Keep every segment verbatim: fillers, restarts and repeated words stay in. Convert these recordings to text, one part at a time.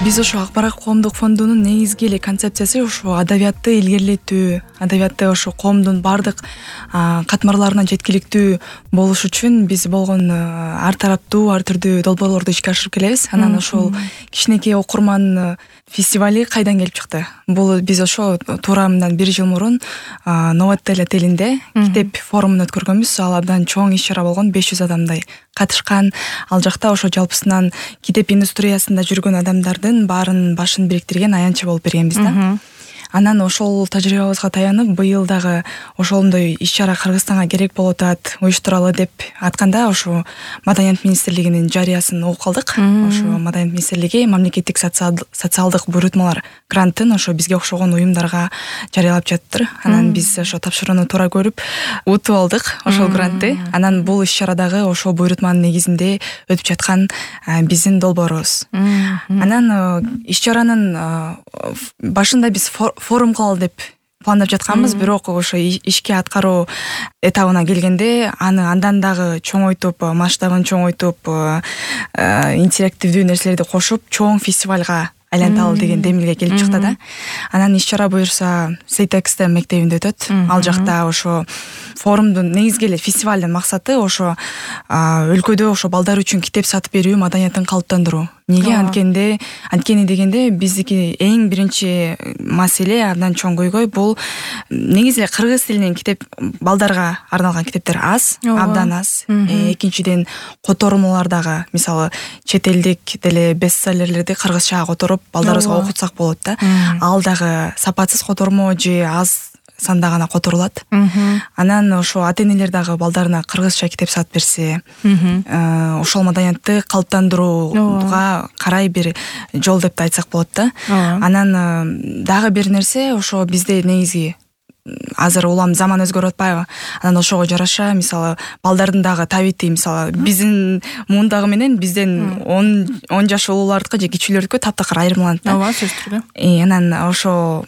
Биз ошо Акбарат коомдук фондунун негизги эле концепциясы ошо адабиятты илгерилетүү, адабиятты ошо коомдун баардык катмарларына жеткиликтүү болуш үчүн биз болгон ар тараптуу, ар түрдүү долбоорлорду ишке ашырып келебиз. Анан ошол кичинекей окурман фестивали кайдан келип чыкты? Бул биз ошо туура мындан бир жыл мурун Новотел отелинде китеп форумун өткөргөнбүз. Ал абдан чоң иш чара болгон, беш жүз адамдай катышкан. Ал жакта ошо жалпысынан китеп индустриясында жүргөн адамдардын баарын башын бириктирген аянтчы болуп бергенбиз да. Анан ошол тажрыйбабызга таянып, быйыл дагы ошондой иш-чара Кыргызстанга керек болуп атат, уюштуралы деп атканда ошо Маданият министрлигинин жарыясын угуп калдык. Ошо Маданият министрлиги мамлекеттик социалдык буйрутмалар грантын ошо бизге окшогон уюмдарга жарыялап жатыр. Анан биз ошо тапшырууну туура көрүп утуп алдык ошол грантты. Анан бул иш-чарадагы ошол буйрутманын негизинде өтүп жаткан биздин долбоорубуз. Анан иш-чаранын башында биз форум кылалы деп пландап жатканбыз, бирок ошо ишке аткаруу этабына келгенде аны андан дагы чоңойтуп, масштабын чоңойтуп, интерактивдүү нерселерди кошуп, чоң фестивалга айланталы деген демилге келип чыкты да. Анан иш-чара буюрса Сейтекстер мектебинде өтөт. Ал жакта ошо форумдун негизги эле фестивалдын максаты ошо өлкөдө ошо балдар үчүн китеп сатып берүү маданиятын калыптандыруу. Неге анткенде, анткени дегенде биздики эң биринчи маселе, абдан чоң көйгөй бул негизи эле кыргыз тилинен китеп, балдарга арналган китептер аз, абдан аз. Экинчиден котормолор дагы, мисалы, чет элдик деле бестселлерлерди кыргызчага которуп балдарыбызга окутсак болот да. Ал дагы сапатсыз котормо же аз санда гана которулат. Анан ошо ата-энелер дагы балдарына кыргызча китеп сатып берсе, ошол маданиятты калыптандырууга карай бир жол деп да айтсак болот да. Анан дагы бир нерсе, ошо бизде негизи азыр улам заман өзгөрүп атпайбы? Анан ошого жараша, мисалы, балдардын дагы табити, мисалы, биздин муундагы менен бизден он жаш улуулардыкы же кичүүлөрдүкү таптакыр айырмаланат да. Ооба, сөзсүз түрдө. Анан ошо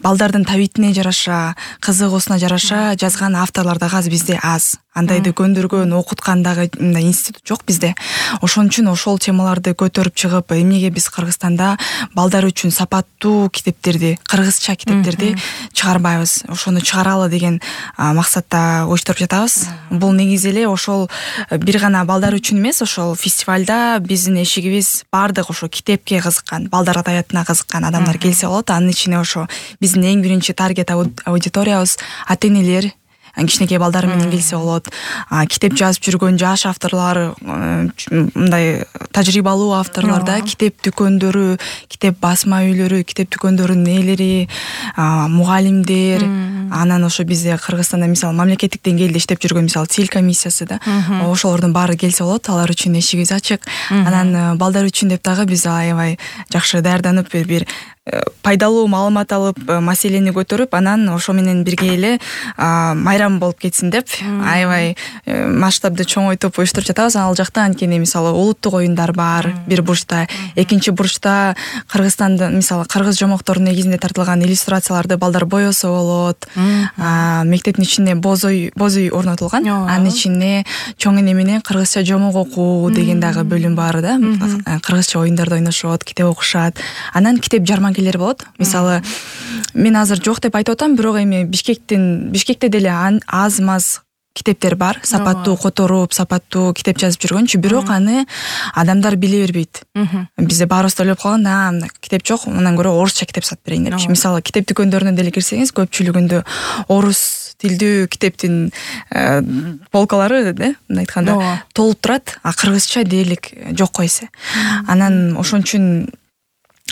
балдардын табитине жараша, кызыгуусуна жараша жазган авторлор дагы аз бизде аз. Андайды көндүргөн, окуткан дагы мындай институт жок бизде. Ошон үчүн ошол темаларды көтөрүп чыгып, эмнеге биз Кыргызстанда балдар үчүн сапаттуу китептерди, кыргызча китептерди чыгарбайбыз? Ошону чыгаралы деген максатта уюштуруп жатабыз. Бул негизи эле ошол бир гана балдар үчүн эмес, ошол фестивалда биздин эшигибиз баардык ошо китепке кызыккан, балдар адабиятына кызыккан адамдар келсе болот. Анын ичине ошо биздин эң биринчи таргет аудиториябыз ата-энелер, кичинекей балдар менен келсе болот. Китеп жазып жүргөн жаш авторлор, мындай тажрыйбалуу авторлор да, китеп дүкөндөрү, китеп басма үйлөрү, китеп дүкөндөрүнүн ээлери, мугалимдер. Анан ошо бизде Кыргызстанда мисалы мамлекеттик деңгээлде иштеп жүргөн мисалы Тил комиссиясы да, ошолордун баары келсе болот. Алар үчүн эшигибиз ачык. Анан балдар үчүн деп дагы биз аябай жакшы даярданып бир пайдалуу маалымат алып, маселени көтөрүп, анан ошо менен бирге эле майрам болуп кетсин деп аябай масштабды чоңойтуп уюштуруп жатабыз. Ал жакта анткени мисалы улуттук оюндар бар бир бурчта, экинчи бурчта Кыргызстанда мисалы кыргыз жомокторунун негизинде тартылган иллюстрацияларды балдар боесо болот. Мектептин ичинде боз үй, боз үй орнотулган. Анын ичинде чоң эне менен кыргызча жомок окуу деген дагы бөлүм бар да. Кыргызча оюндарды ойношот, китеп окушат. Анан китеп жарманкелер болот. Мисалы, мен азыр жок деп айтып атам, бирок эми Бишкектин Бишкекте деле аз-маз китептер бар, сапаттуу которуп, сапаттуу китеп жазып жүргөнчү, бирок аны адамдар биле бербейт. Бизде баарыбыз да ойлоп калган, а китеп жок, андан көрө орусча китеп сатып берейин депчи. Мисалы, китеп дүкөндөрүнө деле кирсеңиз, көпчүлүгүндө орус тилдүү китептин полкалары, да, мындай айтканда, толуп турат, а кыргызча дээрлик жок койсо. Анан ошон үчүн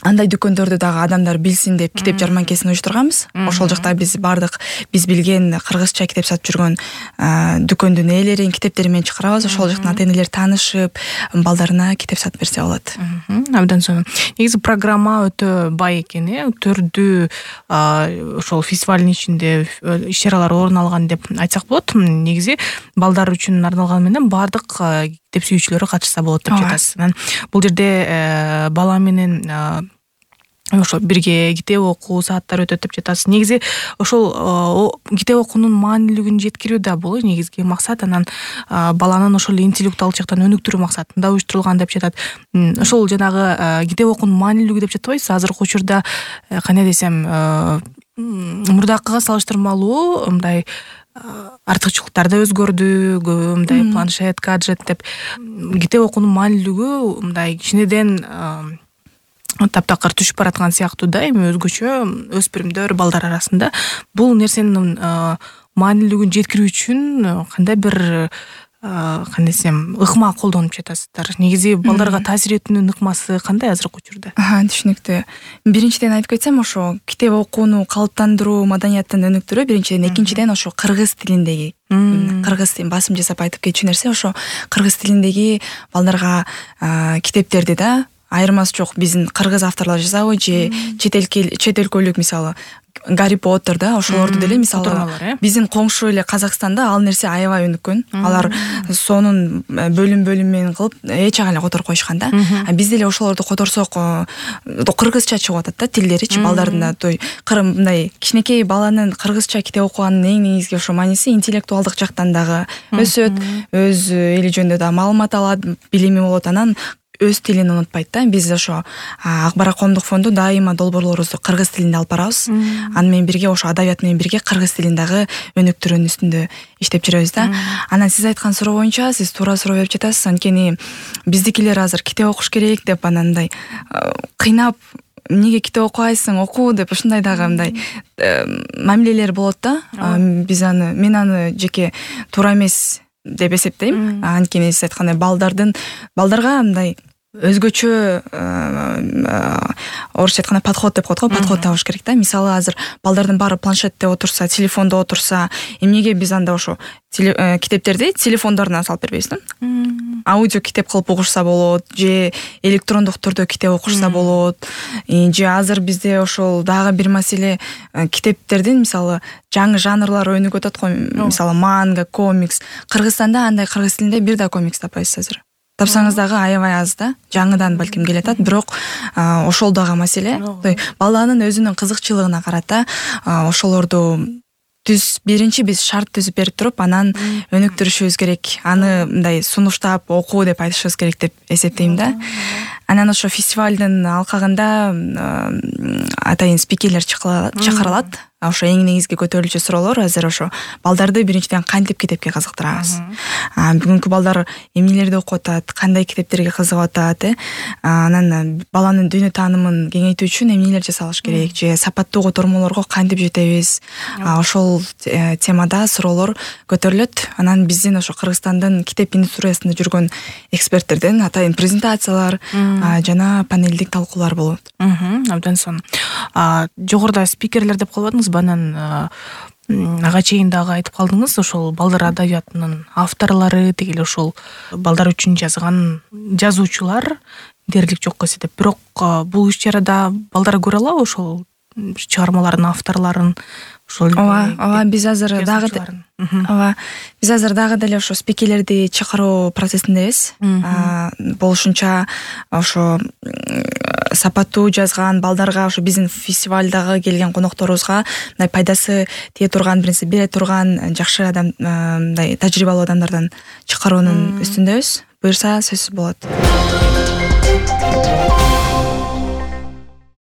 андай дүкөндөрдү дагы адамдар билсин деп китеп жарманкесин уюштурганбыз. Ошол жакта биз бардык биз билген кыргызча китеп сатып жүргөн дүкөндүн ээлерин китептери менен чыгарабыз. Ошол жактан ата-энелер таанышып, балдарына китеп сатып берсе болот. Абдан сонун. Негизи программа өтө бай экен, э, түрдүү ошол фестивалдын ичинде иш-чаралар орун алган деп айтсак болот. Негизи балдар үчүн арналган менен бардык китеп сүйүүчүлөрү катышса болот деп жатасыз. Бул жерде бала менен ошо бирге китеп окуу сааттар өтөт деп жатасыз. Негизи ошол китеп окуунун маанилүүлүгүн жеткирүү да бул негизги максат. Анан баланын ошол интеллектуалдык жактан өнүктүрүү максатында уюштурулган деп жатат. Ошол жанагы китеп окуунун маанилүүлүгү деп жатпайсыз. Азыркы учурда кандай десем, мурдакыга салыштырмалуу мындай артыкчылыктар да өзгөрдү. Көбү мындай планшет, гаджет деп китеп окуунун маанилүүлүгү мындай кичинеден таптакыр түшүп бараткан сыяктуу да. Эми өзгөчө өспүрүмдөр, балдар арасында бул нерсенин маанилүүлүгүн жеткирүү үчүн кандай бир кандай десем ыкма колдонуп жатасыздар. Негизи балдарга таасир этүүнүн ыкмасы кандай азыркы учурда? Түшүнүктүү. Биринчиден айтып кетсем, ошо китеп окууну калыптандыруу, маданияттын өнүктүрүү биринчиден, экинчиден ошо кыргыз тилиндеги кыргыз тилин басым жасап айтып кетчү нерсе ошо кыргыз тилиндеги балдарга китептерди да айырмасы жок. Биздин кыргыз авторлор жазабы же чет өлкөлүк мисалы Гарри Поттер да ошолорду деле мисалы биздин коңшу эле Казакстанда ал нерсе аябай өнүккөн. Алар сонун бөлүм-бөлүм менен кылып эч ага эле которуп коюшкан да. А биз деле ошолорду которсок кыргызча чыгып атат да тилдеричи балдардын да. Той мындай кичинекей баланын кыргызча китеп окуганын эң негизги ошо мааниси интеллектуалдык жактан дагы өсөт, өз эли жөнүндө да маалымат алат, билими болот. Анан өз тилин унутпайт да. Биз ошо Акбарат коомдук фонду дайыма долбоорлорубузду кыргыз тилинде алып барабыз. Аны менен бирге ошо адабият менен бирге кыргыз тилин дагы өнүктүрүүнүн үстүндө иштеп жүрөбүз да. Анан сиз айткан суроо боюнча сиз туура суроо берип жатасыз. Анткени биздикилер азыр китеп окуш керек деп анандай кыйнап эмнеге китеп окубайсың, окуу деп ушундай дагы мындай мамилелер болот да. Биз аны мен аны жеке туура эмес деп эсептейм. Анткени сиз айткандай балдардын балдарга мындай өзгөчө орусча айтканда подход деп коет го, подход табыш керек да. Мисалы азыр балдардын баары планшетте отурса, телефондо отурса, эмнеге биз анда ошо китептерди телефондоруна салып бербейбиз да? Аудио китеп кылып угушса болот, же электрондук түрдө китеп окушса болот. Же азыр бизде ошол дагы бир маселе китептердин мисалы жаңы жанрлары өнүгүп атат го. Мисалы манга, комикс. Кыргызстанда андай кыргыз тилинде бир да комикс таппайсыз азыр. Тапсаңыз дагы аябай аз да. Жаңыдан балким келатат, бирок ошол дагы маселе. Баланын өзүнүн кызыкчылыгына карата ошолорду түз биринчи биз шарт түзүп берип туруп, анан өнүктүрүшүбүз керек. Аны мындай сунуштап окуу деп айтышыбыз керек деп эсептейм да. Анан ошо фестивалдын алкагында атайын спикерлер чакырылат. Ошо эң негизги көтөрүлчү суроолор азыр ошо балдарды биринчиден кантип китепке кызыктырабыз. Бүгүнкү балдар эмнелерди окуп атат, кандай китептерге кызыгып атат, э? Анан баланын дүйнө таанымын кеңейтүү үчүн эмнелер жасалыш керек, же сапаттуу котормолорго кантип жетебиз. Ошол темада суроолор көтөрүлөт. Анан биздин ошо Кыргызстандын китеп индустриясында жүргөн эксперттерден атайын презентациялар жана панелдик талкуулар болот. Абдан сонун. Жогоруда спикерлер деп калбадыңыз, банан ага чейин дагы айтып калдыңыз, ошол балдар адабиятынын авторлору тегил ошол балдар үчүн жазган жазуучулар дээрлик жокко эсептеп. Бирок бул иш-чарада балдар көрө алабы ошол чыгармалардын авторлорун? Ооба, ооба, биз азыр дагы ооба, биз азыр дагы деле ошо спикерлерди чакыруу процессиндебиз. Болушунча ошо сапаттуу жазган балдарга, ошо биздин фестивалдагы келген конокторубузга мындай пайдасы тие турган, биринчи бере турган жакшы адам, мындай тажрыйбалуу адамдардан чакыруунун үстүндөбүз. Буюрса сөзсүз болот.